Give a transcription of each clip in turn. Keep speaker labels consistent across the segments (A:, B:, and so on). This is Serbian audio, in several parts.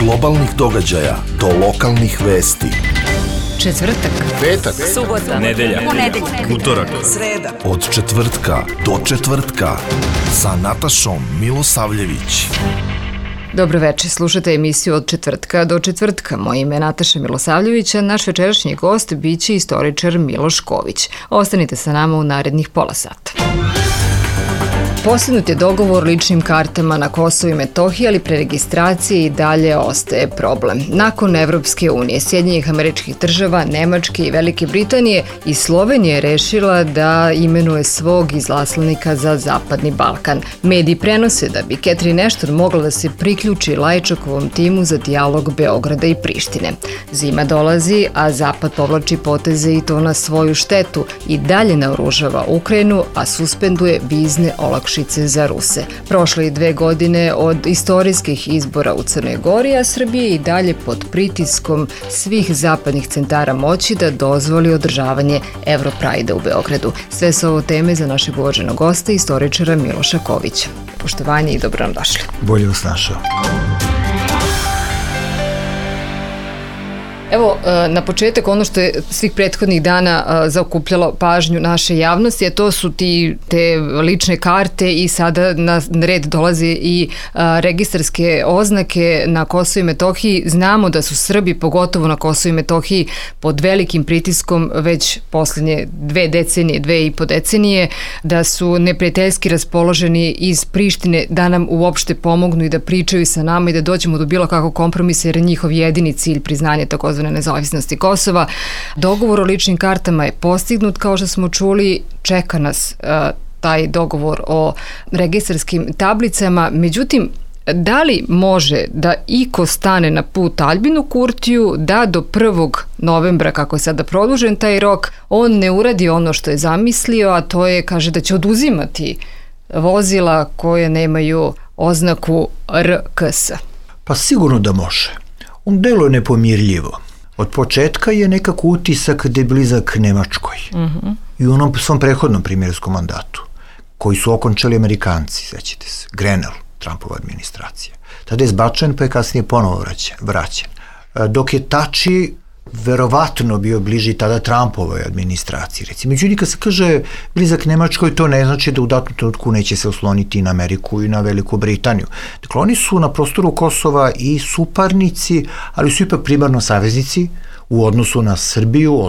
A: globalnih događaja do lokalnih vesti.
B: Četvrtak,
C: petak,
B: subota,
C: nedelja, utorak,
B: sreda.
A: Od četvrtka do četvrtka sa Natašom Milosavljević.
B: Dobro večer, slušate emisiju Od četvrtka do četvrtka. Moje ime je Nataša Milosavljević, a naš večerašnji gost biće istoričar Miloš Ković. Ostanite sa nama u narednih pola sata. Postignut je dogovor o ličnim kartama na Kosovu i Metohiji, ali pre registracije i dalje ostaje problem. Nakon Evropske unije, Sjedinjenih Američkih Država, Nemačke i Velike Britanije i Slovenija je rešila da imenuje svog izaslanika za Zapadni Balkan. Mediji prenose da bi Catherine Ashton mogla da se priključi Lajčakovom timu za dijalog Beograda i Prištine. Zima dolazi, a Zapad povlači poteze i to na svoju štetu i dalje naoružava Ukrajinu, a suspenduje vizne olakšice za Ruse. Prošle i 2 godine od istorijskih izbora u Crnoj Gori, a Srbija je i dalje pod pritiskom svih zapadnih centara moći da dozvoli održavanje Europride-a u Beogradu. Sve su ovo teme za našeg uvaženog gosta, istoričara Miloša Kovića. Poštovanje i dobro nam došli.
C: Bolje vas našao.
B: Evo, na početak ono što je svih prethodnih dana zaokupljalo pažnju naše javnosti, a to su te lične karte i sada na red dolaze i registarske oznake na Kosovu i Metohiji. Znamo da su Srbi, pogotovo na Kosovu i Metohiji, pod velikim pritiskom već posljednje 2,5 decenije, da su neprijateljski raspoloženi iz Prištine da nam uopšte pomognu i da pričaju sa nama i da dođemo do bilo kakvog kompromisa, jer je njihov jedini cilj priznanje takozvane nezavisnosti Kosova. Dogovor o ličnim kartama je postignut, kao što smo čuli, čeka nas taj dogovor o registarskim tablicama. Međutim, da li može da iko stane na put Aljbinu Kurtiju da do 1. novembra, kako je sada produžen taj rok, on ne uradi ono što je zamislio, a to je, kaže, da će oduzimati vozila koje nemaju oznaku RKS?
C: Pa sigurno da može. On deluje nepomirljivo. Od početka je nekako utisak da je blizak Nemačkoj. I u onom svom prethodnom premijerskom mandatu, koji su okončali Amerikanci, sećate se, Grenell, Trumpova administracija. Tada je zbačen, pa je kasnije ponovo vraćen. Dok je Tači verovatno bio bliži tada Trumpovoj administraciji. Međutim, kad se kaže blizak Nemačkoj, to ne znači da u datom trenutku neće se osloniti na Ameriku i na Veliku Britaniju. Dakle, oni su na prostoru Kosova i suparnici, ali su ipak primarno saveznici u odnosu na Srbiju,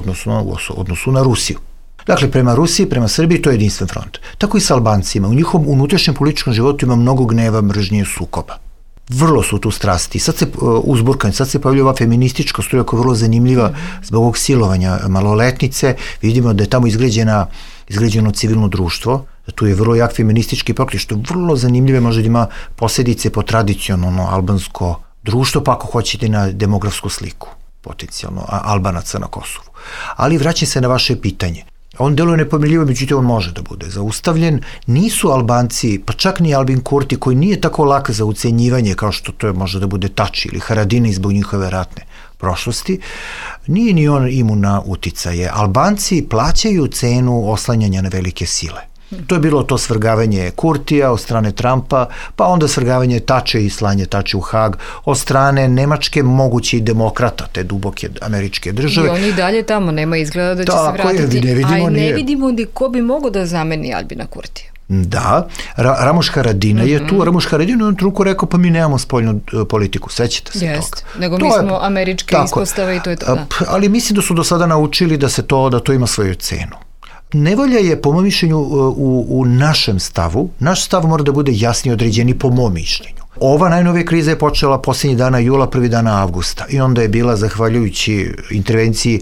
C: odnosu na Rusiju. Dakle, prema Rusiji, prema Srbiji, to je jedinstven front. Tako i sa Albancima. U njihovom unutrašnjem političkom životu ima mnogo gneva, mržnje, sukoba. Vrlo su tu strasti. Sad se uzburkani, sad se pojavlja ova feministička struja koja je vrlo zanimljiva zbog ovog silovanja maloletnice. Vidimo da je tamo izgrađeno civilno društvo, da tu je vrlo jak feministički pokret, što je vrlo zanimljivo, može da ima posljedice po tradicionalno albansko društvo, pa ako hoćete na demografsku sliku, potencijalno Albanaca na Kosovu. Ali vraćam se na vaše pitanje. On deluje nepomirljivo, međutim on može da bude zaustavljen. Nisu Albanci, pa čak ni Albin Kurti, koji nije tako lak za ucenjivanje kao što to može da bude Tači ili Haradinaj zbog njihove ratne prošlosti, nije ni on imun na uticaje. Albanci plaćaju cenu oslanjanja na velike sile. To je bilo to svrgavanje Kurtija od strane Trumpa, pa onda svrgavanje Tače i slanje Tače u Hag od strane Nemačke, mogući demokrata, te duboke američke države.
B: I oni i dalje tamo, nema izgleda da će se vratiti. Ne vidimo ko bi mogao da zameni Aljbina Kurtija.
C: Da, Ramuš Haradinaj je tu. Ramuš Haradinaj je u jednom trenutku rekao, pa mi nemamo spoljnu politiku, sećate se toga.
B: Nego mi smo američke ispostave i to je to.
C: Ali mislim da su do sada naučili da to ima svoju cenu. Nevolja je, po mom mišljenju, u našem stavu. Naš stav mora da bude jasnije određeni, po mom mišljenju. Ova najnovija kriza je počela posljednjih dana jula, 1. dana avgusta i onda je bila zahvaljujući intervenciji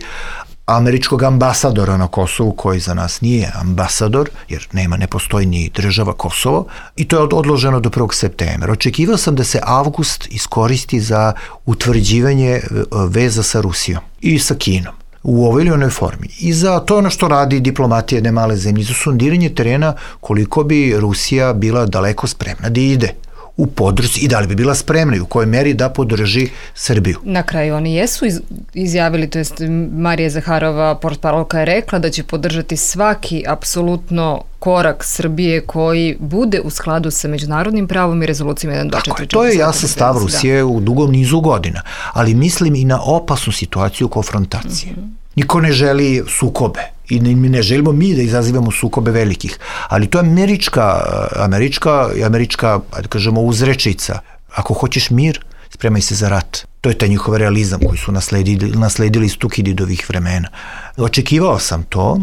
C: američkog ambasadora na Kosovu, koji za nas nije ambasador, jer ne postoji ni država Kosovo, i to je odloženo do 1. septembra. Očekivao sam da se avgust iskoristi za utvrđivanje veza sa Rusijom i sa Kinom u ovoj ili onoj formi. I za to ono što radi diplomatija jedne male zemlje, za sondiranje terena koliko bi Rusija bila daleko spremna da ide u podršci i da li bi bila spremna i u kojoj meri da podrži Srbiju.
B: Na kraju oni jesu izjavili, to jest Marija Zaharova, portparolka, je rekla da će podržati svaki apsolutno korak Srbije koji bude u skladu sa međunarodnim pravom i rezolucijama 1.2.4.4.
C: Tako je, to je jasan stav Rusije u dugom nizu godina, ali mislim i na opasnu situaciju konfrontacije. Niko ne želi sukobe i ne želimo mi da izazivamo sukobe velikih, ali to je američka, da kažemo, uzrečica. Ako hoćeš mir, spremaj se za rat. To je taj njihov realizam koji su nasledili iz Tukididovih vremena. Očekivao sam to.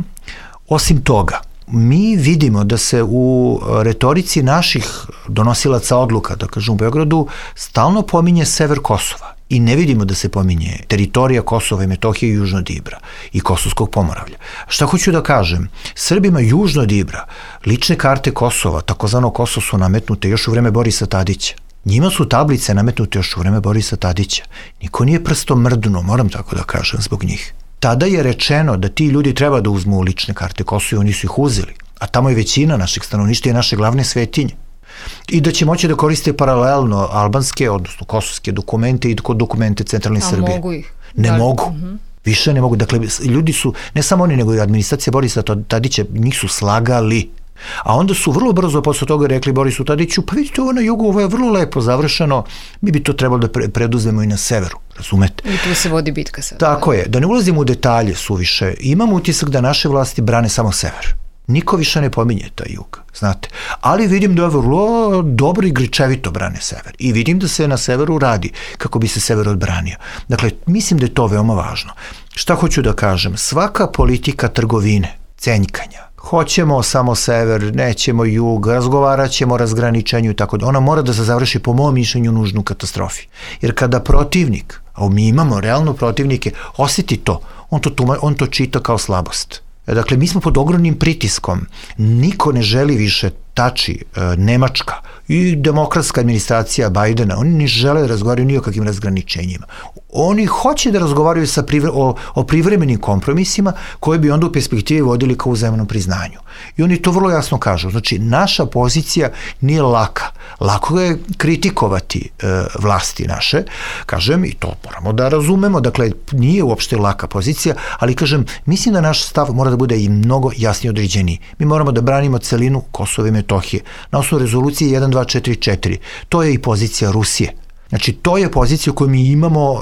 C: Osim toga, mi vidimo da se u retorici naših donosilaca odluka, da kažem u Beogradu, stalno pominje sever Kosova. I ne vidimo da se pominje teritorija Kosova i Metohije i Južno Dibra i Kosovskog Pomoravlja. Šta hoću da kažem? Srbima Južno Dibra, lične karte Kosova, takozvano Kosovo, su nametnute još u vreme Borisa Tadića. Njima su tablice nametnute još u vreme Borisa Tadića. Niko nije prstom mrdnuo, moram tako da kažem, zbog njih. Tada je rečeno da ti ljudi treba da uzmu lične karte Kosova i oni su ih uzeli. A tamo je većina naših stanovništva i naše glavne svetinje. I da će moći da koriste paralelno albanske, odnosno kosovske dokumente i dokumente centralne Srbije.
B: A mogu ih?
C: Ne mogu. Više ne mogu. Dakle, ljudi su, ne samo oni, nego i administracija Borisa Tadića, njih su slagali. A onda su vrlo brzo posle toga rekli Borisu Tadiću, pa vidite, ovo na jugu, ovo je vrlo lepo završeno, mi bi to trebalo da preduzmemo i na severu, razumete?
B: I tu se vodi bitka sad.
C: Tako je, da ne ulazimo u detalje suviše, imam utisak da naše vlasti brane samo sever. Niko više ne pominje taj jug, znate. Ali vidim da je vrlo dobro i grčevito brane sever. I vidim da se na severu radi kako bi se sever odbranio. Dakle, mislim da je to veoma važno. Šta hoću da kažem? Svaka politika trgovine, cenjkanja, hoćemo samo sever, nećemo jug, razgovarat ćemo o razgraničenju i tako da. Ona mora da se završi, po mom mišljenju, nužnu katastrofi. Jer kada protivnik, a mi imamo realno protivnike, osjeti to, on to čita kao slabost. Dakle, mi smo pod ogromnim pritiskom. Niko ne želi više tači Nemačka i demokratska administracija Bajdena. Oni ne žele da razgovaraju ni o kakvim razgraničenjima. Oni hoće da razgovaraju o privremenim kompromisima koji bi onda u perspektivi vodili kao uzajamnom priznanju. I oni to vrlo jasno kažu. Znači, naša pozicija nije laka. Lako je kritikovati vlasti naše, kažem, i to moramo da razumemo, dakle, nije uopšte laka pozicija, ali kažem, mislim da naš stav mora da bude i mnogo jasnije određeniji. Mi moramo da branimo celinu Kosova i Metohije na osnovu rezolucije 1.2.4.4. To je i pozicija Rusije. Znači, to je pozicija u kojoj mi imamo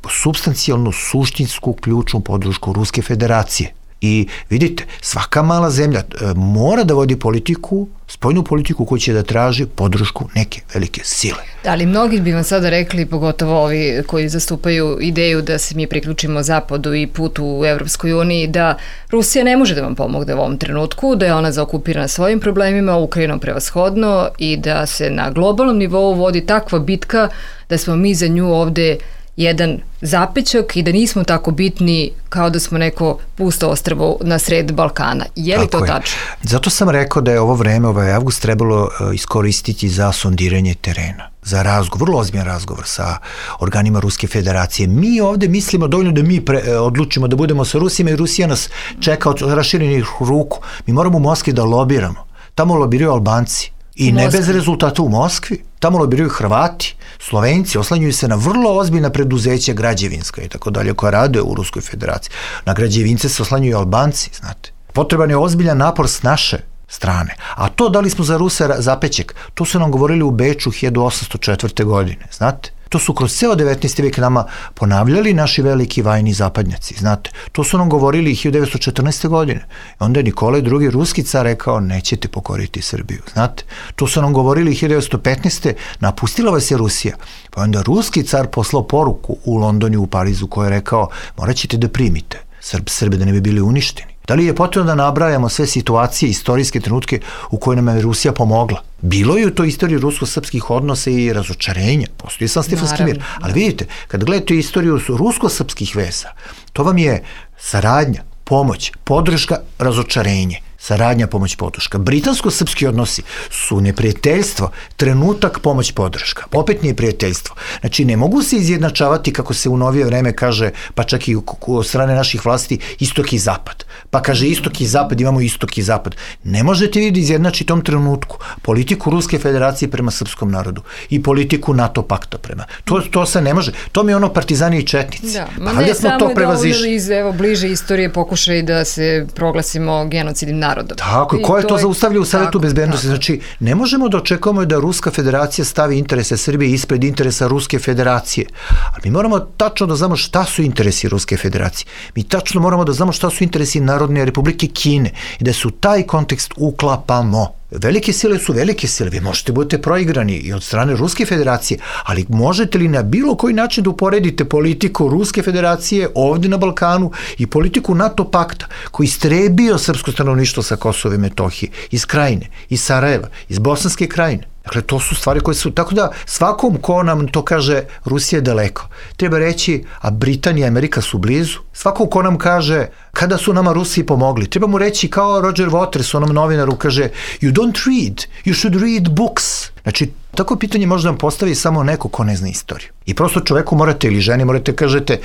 C: supstancijalnu, suštinsku, ključnu podršku Ruske federacije. I vidite, svaka mala zemlja mora da vodi politiku, spoljnu politiku koja će da traži podršku neke velike sile.
B: Ali mnogi bi vam sada rekli, pogotovo ovi koji zastupaju ideju da se mi priključimo Zapadu i putu u Evropskoj uniji, da Rusija ne može da vam pomogne u ovom trenutku, da je ona zaokupirana svojim problemima, Ukrajinom prevashodno, i da se na globalnom nivou vodi takva bitka da smo mi za nju ovde jedan zapećak i da nismo tako bitni kao da smo neko pusto ostrvo na sred Balkana. Je li to tačno?
C: Zato sam rekao da je ovo vreme, ovaj avgust, trebalo iskoristiti za sondiranje terena, za razgovor, vrlo ozbiljan razgovor sa organima Ruske federacije. Mi ovde mislimo dovoljno da mi odlučimo da budemo sa Rusima i Rusija nas čeka od raširenih ruku. Mi moramo u Moskvi da lobiramo. Tamo lobiraju Albanci. I ne bez rezultata u Moskvi. Tamo lobiraju Hrvati, Slovenci, oslanjuju se na vrlo ozbiljna preduzeća građevinska i tako dalje koja rade u Ruskoj federaciji. Na građevince se oslanjuju Albanci, znate. Potreban je ozbiljan napor s naše strane. A to da li smo za Ruse zapećek, to su nam govorili u Beču 1804. godine, znate. To su kroz ceo 19. vek nama ponavljali naši veliki vajni zapadnjaci, znate. To su nam govorili 1914. godine. Onda je Nikolaj II. Ruski car rekao, nećete pokoriti Srbiju, znate. To su nam govorili 1915. napustila vas je Rusija. Pa onda ruski car poslao poruku u Londonu i u Parizu koja je rekao, morat ćete da primite Srbe da ne bi bili uništeni. Da li je potrebno da nabrajamo sve situacije, istorijske trenutke u koje nam je Rusija pomogla? Bilo je u toj istoriji rusko-srpskih odnosa i razočarenja. Postoji sam Stefanski mir. Ali vidite, kad gledate istoriju rusko-srpskih veza, to vam je saradnja, pomoć, podrška, razočarenje. saradnja, pomoć, podrška. Britansko-srpski odnosi su neprijateljstvo, trenutak, pomoć, podrška. Opet nije prijateljstvo. Znači, ne mogu se izjednačavati, kako se u novije vreme kaže, pa čak i od strane naših vlasti, istok i zapad. Pa kaže istok i zapad, imamo istok i zapad. Ne možete vi da izjednači tom trenutku politiku Ruske federacije prema srpskom narodu i politiku NATO pakta prema. To se ne može. To mi je ono partizani i četnici.
B: Da, ma ne samo je dovoljno iz bliže istorije pokušaj da se proglasimo genocidnim narodom.
C: Tako, ko je to zaustavljao u Savetu bezbednosti? Znači, ne možemo da očekujemo da Ruska federacija stavi interese Srbije ispred interesa Ruske federacije. Ali mi moramo tačno da znamo šta su interesi Ruske federacije. Mi tačno moramo da znamo šta su interesi Narodne republike Kine i da se u taj kontekst uklapamo. Velike sile su velike sile, vi možete budete proigrani i od strane Ruske federacije, ali možete li na bilo koji način da uporedite politiku Ruske federacije ovde na Balkanu i politiku NATO pakta, koji istrebio srpsko stanovništvo sa Kosova i Metohije, iz Krajine, iz Sarajeva, iz Bosanske Krajine. Dakle, to su stvari koje su, tako da svakom ko nam to kaže Rusija je daleko, treba reći, a Britanija i Amerika su blizu. Svakom ko nam kaže kada su nama Rusi pomogli, treba mu reći kao Roger Waters, onom novinaru, kaže you don't read, you should read books. Znači, tako pitanje može nam postavi samo neko ko ne zna istoriju. I prosto čoveku morate ili ženi morate kažete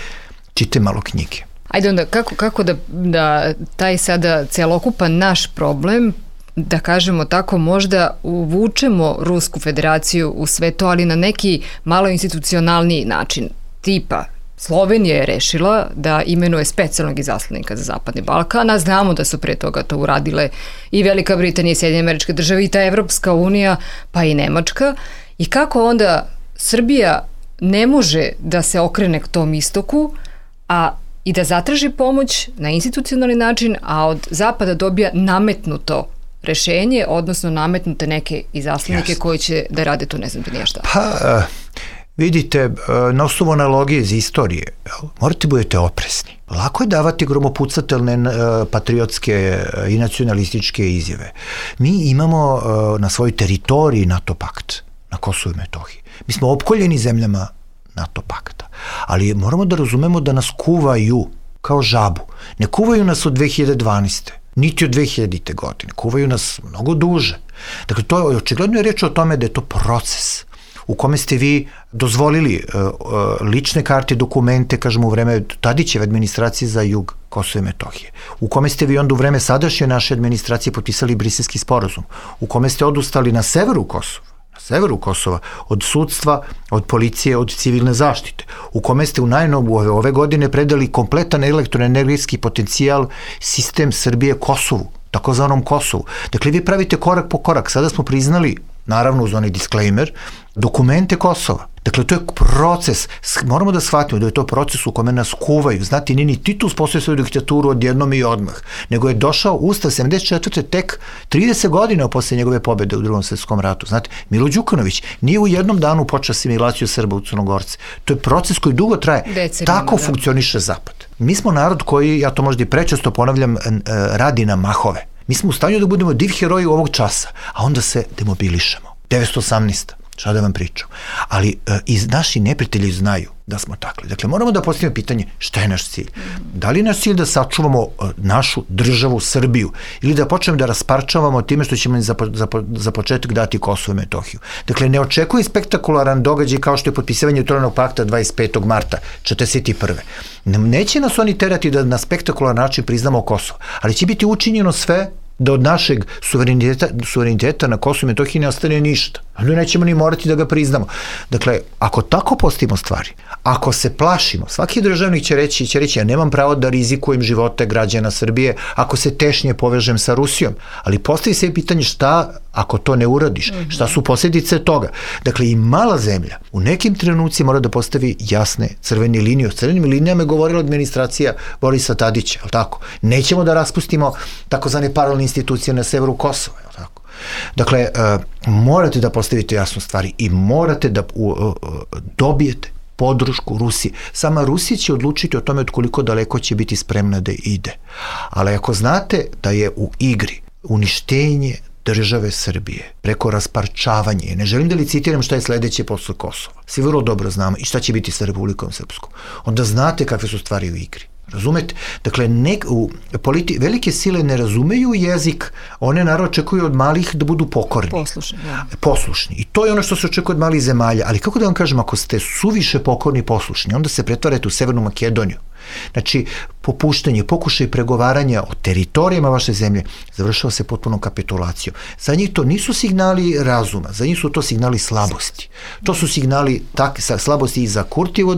C: čite malo knjige.
B: Ajde onda, kako da taj sada celokupan naš problem, da kažemo tako, možda uvučemo Rusku federaciju u sve to, ali na neki malo institucionalniji način. Tipa, Slovenija je rešila da imenuje specijalnog izaslanika za Zapadni Balkan, a znamo da su pre toga to uradile i Velika Britanija i Sjedinjene Američke Države i ta Evropska unija, pa i Nemačka. I kako onda Srbija ne može da se okrene k tom istoku, a i da zatraži pomoć na institucionalni način, a od Zapada dobija nametnuto rešenje, odnosno nametnute neke izaslanike koji će da rade to, ne znam ti nije šta.
C: Pa, vidite, na osnovu analogije iz istorije, morate budete oprezni. Lako je davati gromopucatelne patriotske i nacionalističke izjave. Mi imamo na svojoj teritoriji NATO pakt, na Kosovu i Metohiji. Mi smo opkoljeni zemljama NATO pakta, ali moramo da razumemo da nas kuvaju kao žabu. Ne kuvaju nas od 2012. niti od 2000. godine. Kuvaju nas mnogo duže. Dakle, to je očigledno reč o tome da je to proces u kome ste vi dozvolili lične karte, dokumente, kažemo u vreme Tadićeve administracije za jug Kosova i Metohije, u kome ste vi onda u vreme sadašnje naše administracije potpisali Briselski sporazum, u kome ste odustali na severu Kosova, od sudstva, od policije, od civilne zaštite, u kome ste u najnovu ove godine predali kompletan elektroenergetski potencijal sistem Srbije Kosovu, takozvanom Kosovu. Dakle, vi pravite korak po korak. Sada smo priznali, naravno uz onaj disclaimer, dokumente Kosova. Dakle, to je proces. Moramo da shvatimo da je to proces u kome nas kuvaju. Znate, nije ni Titus postoji svoju diktaturu odjednom i odmah, nego je došao Ustav 74. tek 30 godina posle njegove pobede u Drugom svetskom ratu. Znate, Milo Đukanović nije u jednom danu počeo asimilaciju Srba u Crnogorce. To je proces koji dugo traje. Tako funkcioniše Zapad. Mi smo narod koji, ja to možda i prečesto ponavljam, radi na mahove. Mi smo u stanju da budemo div heroji ovog časa, a onda se demobilišemo. 918. Šta da vam pričam. Ali i naši neprijatelji znaju da smo takli. Dakle, moramo da postavimo pitanje šta je naš cilj. Da li je naš cilj da sačuvamo našu državu Srbiju ili da počnemo da rasparčavamo time što ćemo za početak dati Kosovo i Metohiju. Dakle, ne očekuje spektakularan događaj kao što je potpisivanje Otvorenog pakta 25. marta 1941. Neće nas oni terati da na spektakularan način priznamo Kosovo, ali će biti učinjeno sve da od našeg suvereniteta na Kosovu i Metohiji ne ostane ništa. Onda nećemo ni morati da ga priznamo. Dakle, ako tako postavimo stvari, ako se plašimo, svaki državnik će reći ja nemam pravo da rizikujem živote građana Srbije ako se tešnje povežem sa Rusijom, ali postavi se pitanje šta ako to ne uradiš, šta su posljedice toga. Dakle, i mala zemlja u nekim trenucima mora da postavi jasne crvene linije. O crvenim linijama je govorila administracija Borisa Tadića, ali tako? Nećemo da raspustimo takozvane paralelne institucije na severu Kosova, ali tako? Dakle, morate da postavite jasno stvari i morate da dobijete podršku Rusije. Sama Rusija će odlučiti o tome od koliko daleko će biti spremna da ide. Ali ako znate da je u igri uništenje države Srbije preko rasparčavanja, ne želim da licitiram šta je sledeće posle Kosova, svi vrlo dobro znamo i šta će biti sa Republikom Srpskom, onda znate kakve su stvari u igri. Razumete? Dakle, velike sile ne razumeju jezik, one naravno očekuju od malih da budu pokorni. Poslušni. I to je ono što se očekuje od malih zemalja. Ali kako da vam kažem, ako ste suviše pokorni i poslušni, onda se pretvarate u Severnu Makedoniju. Znači, popuštanje, pokušaj pregovaranja o teritorijama vaše zemlje završava se potpunom kapitulacijom. Za njih to nisu signali razuma, za njih su to signali slabosti. To su signali slabosti i za Kurtijevu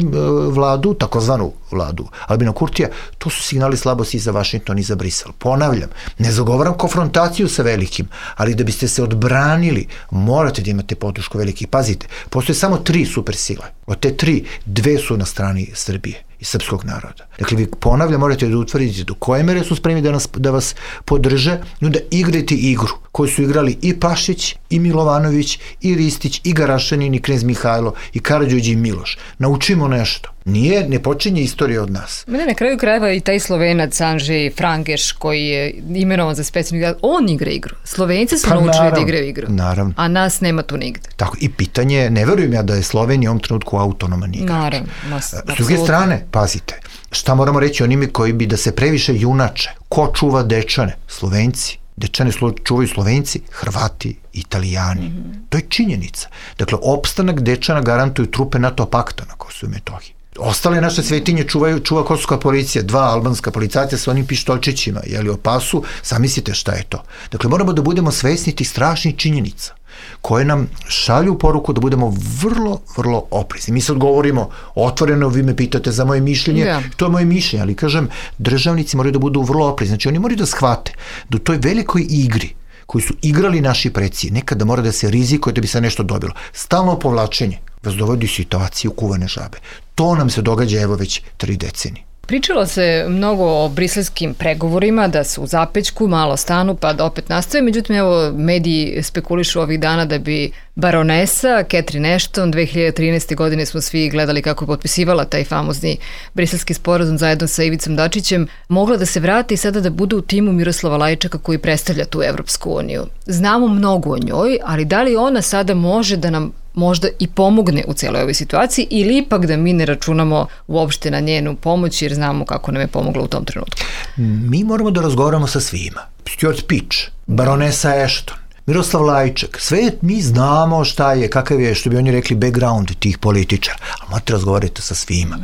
C: vladu, takozvanu vladu Albina Kurtija, to su signali slabosti i za Vašington i za Brisel. Ponavljam, ne zagovaram konfrontaciju sa velikim, ali da biste se odbranili, morate da imate podršku velikih. Pazite, postoje samo 3 supersile. Od te 3, 2 su na strani Srbije i srpskog naroda. Dakle, vi ponavljam, morate da utvrdite do koje mere su spremni da vas podrže i onda igrajte igru koju su igrali i Pašić, i Milovanović, i Ristić, i Garašanin, i knez Mihajlo, i Karađorđe i Miloš. Naučimo nešto. Ne počinje istorija od nas.
B: Mene na kraju krajeva i taj Slovenac Andrzej Frangeš koji je imenovan za specijalni igrač, on igra igru. Slovenci su naučili da igraju igru.
C: Naravno.
B: A nas nema tu nigde.
C: Tako, i pitanje, ne verujem ja da je Slovenija u ovom trenutku autonoman igrač.
B: Naravno.
C: S druge strane, pazite, šta moramo reći onimi koji bi da se previše junače? Ko čuva Dečane? Slovenci. Dečane čuvaju Slovenci, Hrvati, Italijani. To je činjenica. Dakle, opstanak Dečana garantuju trupe NATO pakta na Kosovu i Metohiji. Ostale naše svetinje čuva kosovska policija, 2 albanska policajca sa onim pištoljčićima, o pasu, zamislite šta je to. Dakle, moramo da budemo svesni tih strašnih činjenica koje nam šalju poruku da budemo vrlo, vrlo oprezni. Mi sad govorimo otvoreno, vi me pitate za moje mišljenje, to je moje mišljenje, ali kažem, državnici moraju da budu vrlo oprezni. Znači, oni moraju da shvate da u toj velikoj igri koju su igrali naši preci, nekada mora da se rizikuje da bi se nešto dobilo. Stalno povlačenje vas dovodi u situaciju kuvane žabe. To nam se događa evo već 3 decenije.
B: Pričalo se mnogo o briselskim pregovorima, da su u zapećku, malo stanu, pa da opet nastave. Međutim, evo, mediji spekulišu ovih dana da bi baronesa Catherine Ashton 2013. godine smo svi gledali kako je potpisivala taj famozni briselski sporazum zajedno sa Ivicom Dačićem, mogla da se vrati i sada da bude u timu Miroslava Lajčaka koji predstavlja tu Evropsku uniju. Znamo mnogo o njoj, ali da li ona sada može da nam možda i pomogne u celoj ovoj situaciji ili ipak da mi ne računamo uopšte na njenu pomoć jer znamo kako nam je pomogla u tom trenutku?
C: Mi moramo da razgovaramo sa svima. Stuart Peach, baronesa Ashton, Miroslav Lajčak, sve mi znamo šta je, kakav je, što bi oni rekli, background tih političara, ali morate razgovarati sa svima.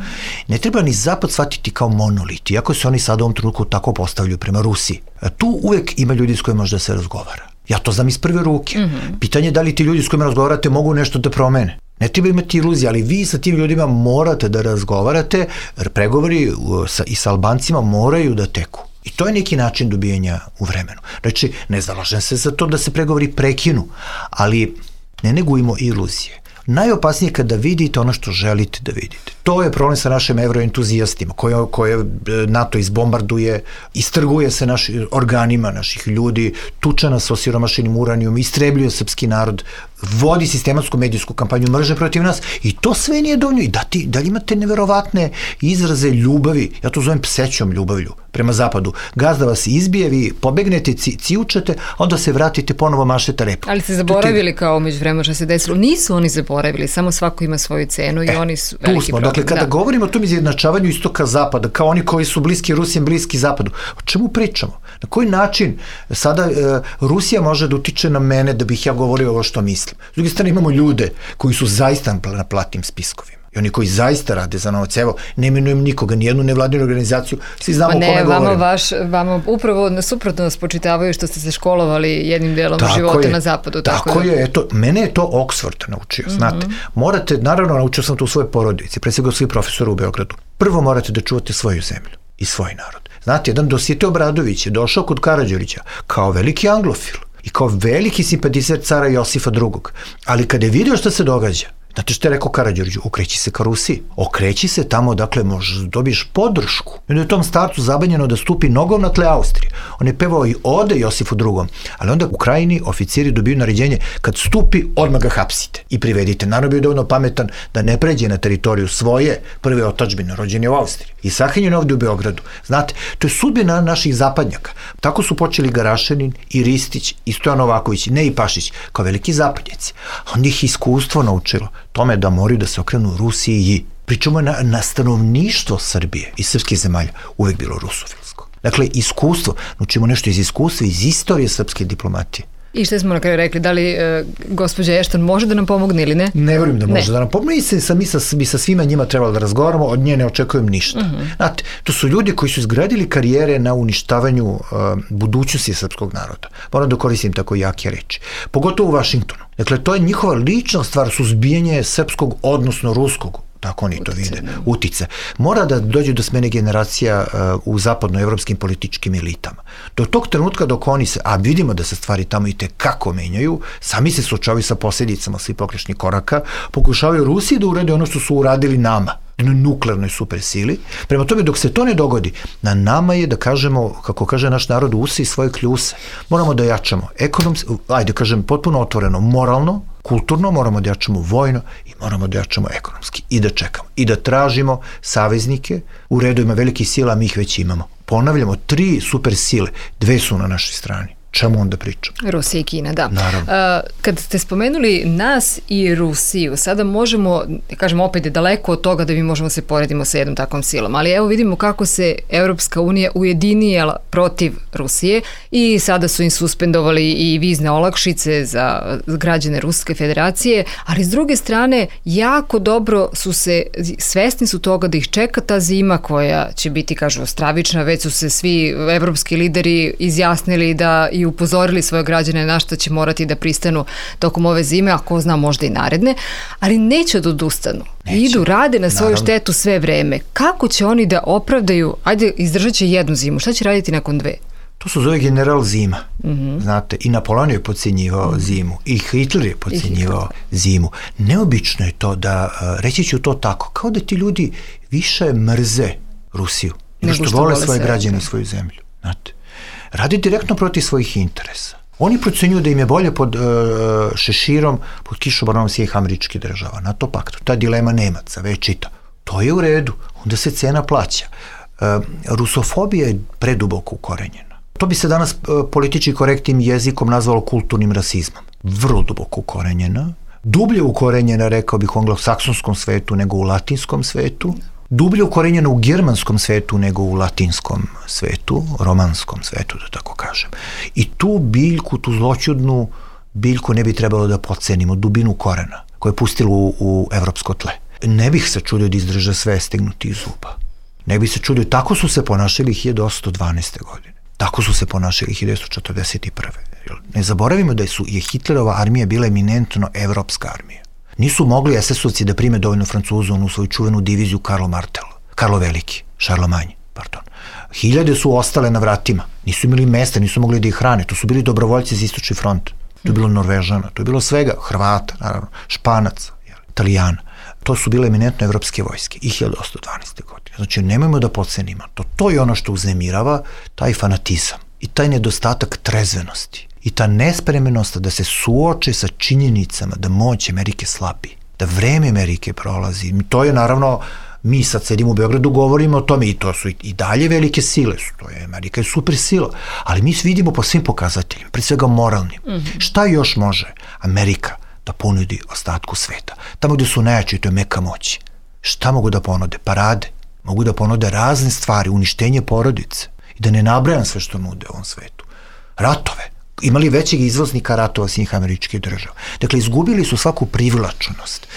C: Ne treba ni Zapad shvatiti kao monolit, iako se oni sada u ovom trenutku tako postavljaju prema Rusiji. Tu uvek ima ljudi s kojima može da se razgovara. Ja to znam iz prve ruke. Pitanje je da li ti ljudi s kojima razgovarate mogu nešto da promene. Ne treba imati iluzije, ali vi sa tim ljudima morate da razgovarate, jer pregovori i sa Albancima moraju da teku. I to je neki način dobijenja u vremenu. Znači, ne zalažem se za to da se pregovori prekinu, ali ne negujmo iluzije. Najopasnije je kada vidite ono što želite da vidite. To je problem sa našim evroentuzijastima koje NATO izbombarduje, istrguje se našim organima naših ljudi, tuča nas osiromašenim uranijom, istrebljuje srpski narod, vodi sistematsku medijsku kampanju mržnje protiv nas i to sve nije dovoljno. I da li imate neverovatne izraze ljubavi, ja to zovem psećom ljubavlju prema zapadu. Gazda vas izbije, vi pobegnete, cijučete, onda se vratite, ponovo mašete repom.
B: Ali ste zaboravili kao među vremena što se desilo. Nisu oni zaboravili, samo svako ima svoju cenu i oni su veliki problem.
C: Dakle, kada govorimo o tom izjednačavanju istoka-zapada, kao oni koji su bliski Rusiji, bliski zapadu, o čemu pričamo? Na koji način sada Rusija može da utiče na mene da bih ja govorio ovo što mislim? S druge strane imamo ljude koji su zaista na platnim spiskovima. I oni koji zaista rade za novac. Evo, ne imenujem nikoga, nijednu nevladinu organizaciju, svi znamo o kome govorimo.
B: Vama upravo suprotno nas počitavaju što ste se školovali jednim delom života na zapadu.
C: Tako je, eto, mene je to Oxford naučio, znate. Morate, naravno, naučio sam to u svojoj porodici, pre svega svi profesori u Beogradu. Prvo morate da čuvate svoju zemlju i svoj narod. Znate, jedan Dositej Obradović je došao kod Karađorđa kao veliki anglofil i kao veliki simpatizer cara Josifa II. Ali kada je vidio šta se događa, znate što je rekao Karađorđu? Okreći se ka Rusiji. Okreći se tamo, dakle, možeš da dobiješ podršku. I onda je tom starcu zabanjeno da stupi nogom na tle Austrije. On je pevao i ode Josifu II. Ali onda u Krajini oficiri dobiju naređenje kad stupi, odmah ga hapsite i privedite. Naravno bio dovoljno pametan da ne pređe na teritoriju svoje prve otadžbine, rođen je u Austriji. I sahranjen ovdje u Beogradu. Znate, to je sudbina naših zapadnjaka. Tako su počeli Garašanin i Ristić i Stojan Novaković, ne i Pašić, kao veliki zapadnjaci. Onda ih iskustvo naučilo tome da moraju da se okrenu Rusiji Pričamo na stanovništvo Srbije i srpskih zemalja uvek bilo rusofilsko. Dakle, iskustvo, učimo nešto iz iskustva, iz istorije srpske diplomatije.
B: I što smo na kraju rekli, da li gospođa Ešton može da nam pomogne ili ne?
C: Ne verujem da može da nam pomogne i mi sa svima njima trebalo da razgovaramo, od nje ne očekujem ništa. Znate, to su ljudi koji su izgradili karijere na uništavanju budućnosti srpskog naroda. Moram da koristim tako jake reči. Pogotovo u Vašingtonu. Dakle, to je njihova lična stvar, suzbijanje srpskog, odnosno ruskog, tako oni to vide, utice. Mora da dođe do smene generacija u zapadnoevropskim političkim elitama. Do tog trenutka dok oni se, a vidimo da se stvari tamo i tekako menjaju, sami se suočavaju sa posljedicama svih pogrešnih koraka, pokušavaju Rusiji da urade ono što su uradili nama, nuklearnoj supersili. Prema tome, dok se to ne dogodi, na nama je da kažemo, kako kaže naš narod, usi svoje kljuse. Moramo da jačamo ekonomski, ajde kažem, potpuno otvoreno, moralno, kulturno, moramo da jačamo vojno i moramo da jačamo ekonomski i da čekamo i da tražimo saveznike u redovima velikih sila, mi ih već imamo. Ponavljamo, 3 super sile, 2 su na našoj strani. Čemu onda pričam?
B: Rusija i Kina, da.
C: Naravno.
B: Kad ste spomenuli nas i Rusiju, sada možemo, kažem, opet je daleko od toga da mi možemo se poredimo sa jednom takvom silom, ali evo vidimo kako se Evropska unija ujedinila protiv Rusije i sada su im suspendovali i vizne olakšice za građane Ruske federacije, ali s druge strane jako dobro su se, svesni su toga da ih čeka ta zima koja će biti, kažu, stravična, već su se svi evropski lideri izjasnili da i upozorili svoje građane na što će morati da pristanu tokom ove zime, a ko zna možda i naredne, ali neće da odustanu. Idu, rade na svoju štetu sve vreme. Kako će oni da opravdaju, ajde, izdržat će jednu zimu, šta će raditi nakon 2?
C: To se zove general zima. Znate, i Napoleon je podcjenjivao zimu, i Hitler je podcjenjivao zimu. Neobično je to da, reći ću to tako, kao da ti ljudi više mrze Rusiju, nego što vole svoje građane i svoju zemlju. Znate, radi direktno protiv svojih interesa. Oni procenjuju da im je bolje pod šeširom, pod kišobranom svih američkih država, NATO paktu. Ta dilema Nemaca, večita. To je u redu, onda se cena plaća. Rusofobija je preduboko ukorenjena. To bi se danas politički korektnim jezikom nazvalo kulturnim rasizmom. Vrlo duboko ukorenjena. Dublje ukorenjena, rekao bih, u anglosaksonskom svetu nego u latinskom svetu. Dublje ukorenjena u germanskom svetu nego u latinskom svetu, romanskom svetu, da tako kažem. I tu biljku, tu zloćudnu biljku ne bi trebalo da podcenimo, dubinu korena koje je pustilo u evropsko tle. Ne bih se čudio da izdrže sve stegnuti iz zuba. Ne bih se čudio, tako su se ponašali 1812. godine. Tako su se ponašali 1941. Ne zaboravimo da je Hitlerova armija bila eminentno evropska armija. Nisu mogli SS-ovci da prime dovoljno Francuza u svoju čuvenu diviziju Karlo Veliki, Charlemagne, pardon. Hiljade su ostale na vratima, nisu imali mesta, nisu mogli da ih hrane, to su bili dobrovoljci za istočni front, to je bilo Norvežana, to je bilo svega, Hrvata, naravno, Španaca, Italijana. To su bile eminentno evropske vojske i 1812. godine. Znači, nemojmo da podcenimo to. To je ono što uznemirava, taj fanatizam i taj nedostatak trezvenosti. I ta nespremnost da se suoče sa činjenicama da moć Amerike slabi, da vreme Amerike prolazi. To je naravno, mi sad sedimo u Beogradu, govorimo o tome i to su i dalje velike sile, to je Amerika je super sila, ali mi vidimo po svim pokazateljima, pre svega moralnim. Šta još može Amerika da ponudi ostatku sveta? Tamo gde su najjači, to je meka moći. Šta mogu da ponude? Parade. Mogu da ponude razne stvari, uništenje porodice. I da ne nabrajam sve što nude u ovom svetu. Ratove. Imali većeg izvoznika ratova svih američkih država. Dakle, izgubili su svaku privlačenost.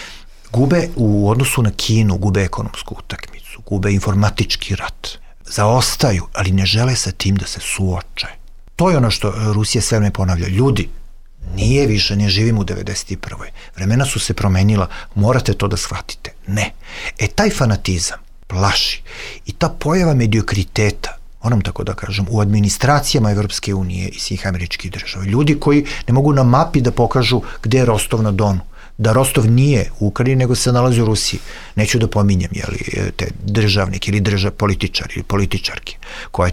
C: Gube u odnosu na Kinu, gube ekonomsku utakmicu, gube informatički rat. Zaostaju, ali ne žele sa tim da se suoče. To je ono što Rusija sve ne ponavlja. Ljudi, nije više, ne živimo u 91. Vremena su se promenila, morate to da shvatite. Ne. Taj fanatizam plaši i ta pojava mediokriteta, moram tako da kažem, u administracijama Evropske unije i svih američkih država. Ljudi koji ne mogu na mapi da pokažu gde je Rostov na Donu. Da Rostov nije u Ukrajini, nego se nalazi u Rusiji. Neću da pominjem, te državnike ili političari ili političarke.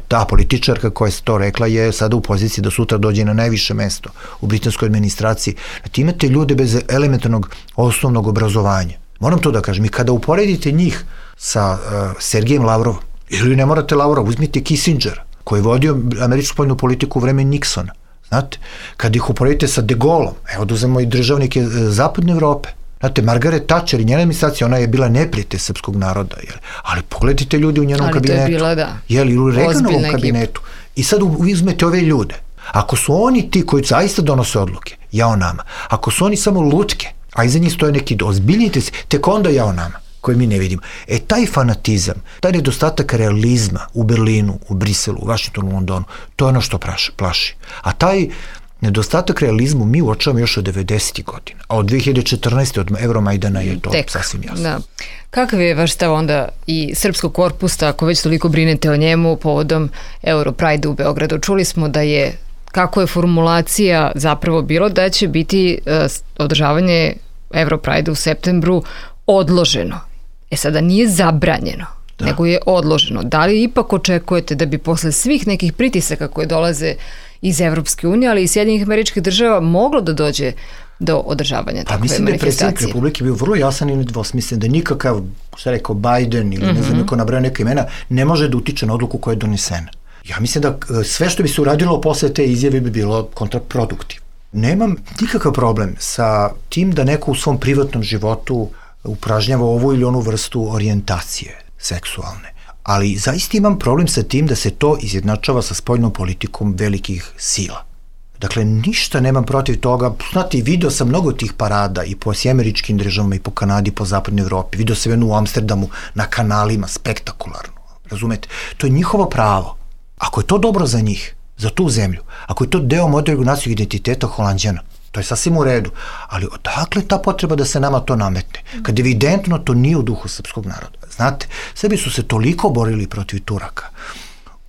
C: Ta političarka koja je to rekla je sada u poziciji da sutra dođe na najviše mesto u britanskoj administraciji. Znači, imate ljude bez elementarnog osnovnog obrazovanja. Moram to da kažem. I kada uporedite njih sa Sergejem Lavrovom, ili ne morate Lavrov, uzmite Kissingera, koji je vodio američku spoljnu politiku u vreme Nixona. Znate, kad ih uporedite sa De Gaulom, evo da uzmemo i državnike zapadne Evrope, Znate, Margaret Thatcher i njena administracija, ona je bila neprijatelj srpskog naroda, ali pogledajte ljudi u njenom kabinetu.
B: Ali to je bila, da,
C: i u Reaganovom kabinetu. I sad uzmete ove ljude. Ako su oni ti koji zaista donose odluke, jao nama. Ako su oni samo lutke, a iza njih stoje neki ozbiljnite se, tek onda jao nama, koje mi ne vidimo. Taj fanatizam, taj nedostatak realizma u Berlinu, u Briselu, u Vašingtonu, u Londonu, to je ono što plaši. A taj nedostatak realizmu mi uočavamo još od 90. godina, a od 2014. od Euromajdana je to sasvim jasno.
B: Da. Kakav je vaš stav onda i srpskog korpusa, ako već toliko brinete o njemu povodom Europride u Beogradu? Čuli smo da je, kako je formulacija zapravo bilo, da će biti održavanje Europride u septembru odloženo. Sada nije zabranjeno, nego je odloženo. Da li ipak očekujete da bi posle svih nekih pritisaka koje dolaze iz Evropske unije, ali i Sjedinjenih Američkih Država, moglo da dođe do održavanja takve manifestacije?
C: Mislim da je predsjednik Republike bio vrlo jasan i nedvosmislen, da nikakav, šta rekao, Biden ili ne znam, neko nabrao neka imena, ne može da utiče na odluku koja je donesena. Ja mislim da sve što bi se uradilo posle te izjave bi bilo kontraproduktivno. Nemam nikakav problem sa tim da neko u svom privatnom životu upražnjava ovu ili onu vrstu orijentacije seksualne. Ali zaista imam problem sa tim da se to izjednačava sa spoljnom politikom velikih sila. Dakle, ništa nemam protiv toga. Znate, video sam mnogo tih parada i po Američkim Državama i po Kanadi, po Zapadnoj Evropi. Video sam jednu u Amsterdamu na kanalima, spektakularno. Razumete? To je njihovo pravo. Ako je to dobro za njih, za tu zemlju, ako je to deo modernog nacionalnog identiteta Holanđana, to je sasvim u redu. Ali odakle ta potreba da se nama to nametne? Kad evidentno to nije u duhu srpskog naroda. Znate, Srbi su se toliko borili protiv Turaka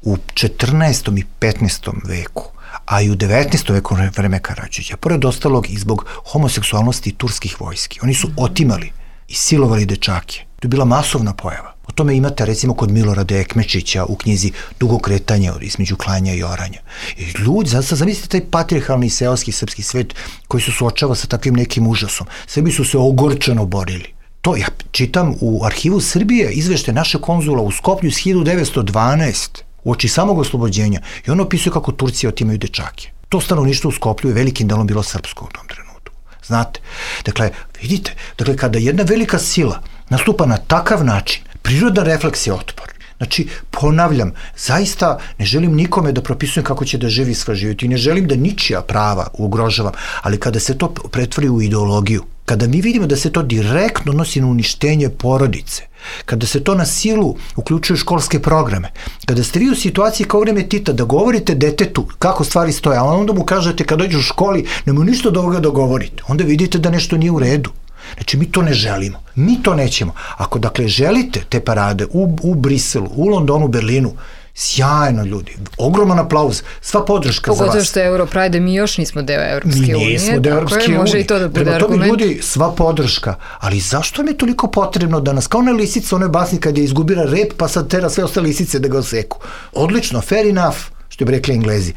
C: u 14. i 15. veku, a i u 19. veku vreme Karadžića, pored ostalog i zbog homoseksualnosti turskih vojski. Oni su otimali i silovali dečake. To je bila masovna pojava. O tome imate recimo kod Milorada Ekmečića u knjizi Dugo kretanje između klanja i oranja. I ljudi, zamislite taj patrijarhalni seoski srpski svet koji se suočava sa takvim nekim užasom. Srbi su se ogorčano borili. To ja čitam u arhivu Srbije izvešte naše konzula u Skoplju iz 1912. uoči samog oslobođenja i on opisuje kako Turci otimaju dečake. To stanovništvo u Skoplju je velikim delom bilo srpsko u tom trenutku. Znate, dakle, vidite, kada jedna velika sila nastupa na takav način, prirodan refleks je otpor. Znači, ponavljam, zaista ne želim nikome da propisujem kako će da živi svoj život i ne želim da ničija prava ugrožavam, ali kada se to pretvori u ideologiju, kada mi vidimo da se to direktno nosi na uništenje porodice, kada se to na silu uključuje u školske programe, kada ste vi u situaciji kao vreme Tita da govorite detetu kako stvari stoje, a onda mu kažete kad dođe u školi nemoj ništa od ovoga da govorite, onda vidite da nešto nije u redu. Znači, mi to ne želimo. Mi to nećemo. Ako, dakle, želite te parade u Briselu, u Londonu, Berlinu, sjajno, ljudi. Ogroman aplauz. Sva podrška za vas.
B: Pogotovo što je Europride, mi još nismo deo Evropske unije.
C: Mi nismo deo Evropske unije.
B: Može i to da bude
C: argument.
B: Prema
C: tome, ljudi, sva podrška. Ali zašto mi je toliko potrebno da nas, kao ona lisica, onoj basni kad je izgubila rep, pa sad tera sve ostale lisice da ga oseku. Odlično, fair enough, što bi rekli Englezi.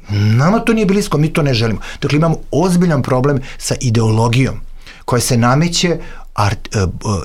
C: Nama to nije blisko, mi to ne želimo. Dakle, imamo ozbiljan problem sa ideologijom koja se nameće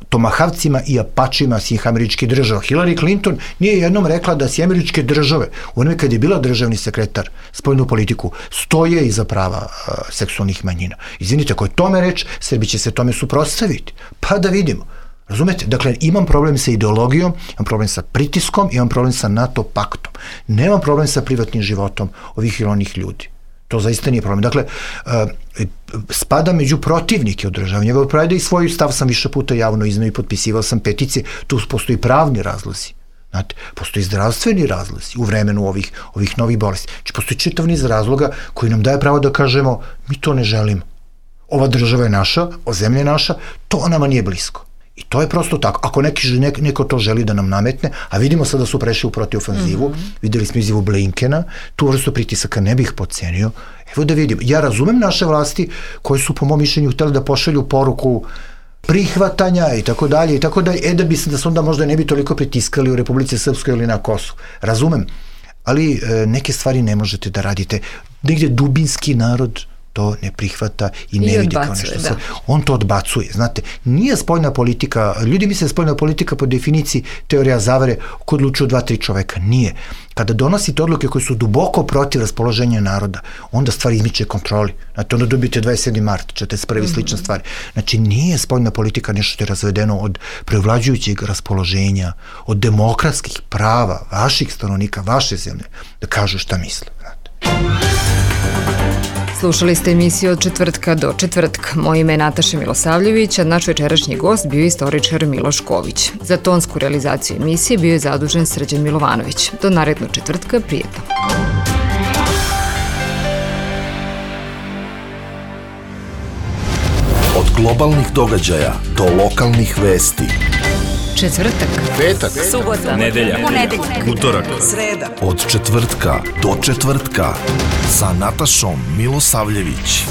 C: tomahavcima i apačima svih Američkih Država. Hillary Clinton nije jednom rekla da si Američke Države, u onome kad je bila državni sekretar spoljnu politiku, stoje iza prava seksualnih manjina. Izvinite, ako je tome reč, Srbi će se tome suprotstaviti. Pa da vidimo. Razumete? Dakle, imam problem sa ideologijom, imam problem sa pritiskom, imam problem sa NATO paktom. Nemam problem sa privatnim životom ovih ili onih ljudi. To zaista nije problem. Dakle, spada među protivnike održavanja Europride i svoj stav sam više puta javno izneo i potpisivao sam peticije. Tu postoji pravni razlozi. Znate, postoji zdravstveni razlozi u vremenu ovih novih bolesti. Znači, postoji čitav niz razloga koji nam daje pravo da kažemo mi to ne želimo. Ova država je naša, zemlja je naša, to nama nije blisko. I to je prosto tako. Ako neko to želi da nam nametne, a vidimo sada da su prešli u protivofanzivu, videli smo izjavu Blinkena, tu vrstu pritisaka ne bih podcenio. Evo da vidimo. Ja razumem naše vlasti koje su po mom mišljenju htjeli da pošalju poruku prihvatanja i tako dalje, da se onda možda ne bi toliko pritiskali u Republici Srpskoj ili na Kosovu. Razumem. Ali neke stvari ne možete da radite. Negdje dubinski narod to ne prihvata i ne vidi kao nešto. On to odbacuje. Znate, nije spoljna politika, ljudi misle da spoljna politika po definiciji teorija zavere ko odlučuju 2-3 čoveka. Nije. Kada donosite odluke koje su duboko protiv raspoloženja naroda, onda stvari izmiče kontroli. Znate, onda dobijete 27. mart, 41. slične stvari. Znači, nije spoljna politika nešto što je razvedeno od prevlađujućeg raspoloženja, od demokratskih prava vaših stanovnika, vaše zemlje, da kažu šta misle.
B: Slušali ste emisiju Od četvrtka do četvrtka. Moje ime je Nataša Milosavljević, a naš večerašnji gost bio je istoričar Miloš Ković. Za tonsku realizaciju emisije bio je zadužen Srđan Milovanović. Do narednog četvrtka, prijetno.
A: Od globalnih događaja do lokalnih vesti.
B: Četvrtak,
A: Petak,
D: subota, nedelja,
A: utorak,
D: sreda.
A: Od četvrtka do četvrtka sa Natašom Milosavljević.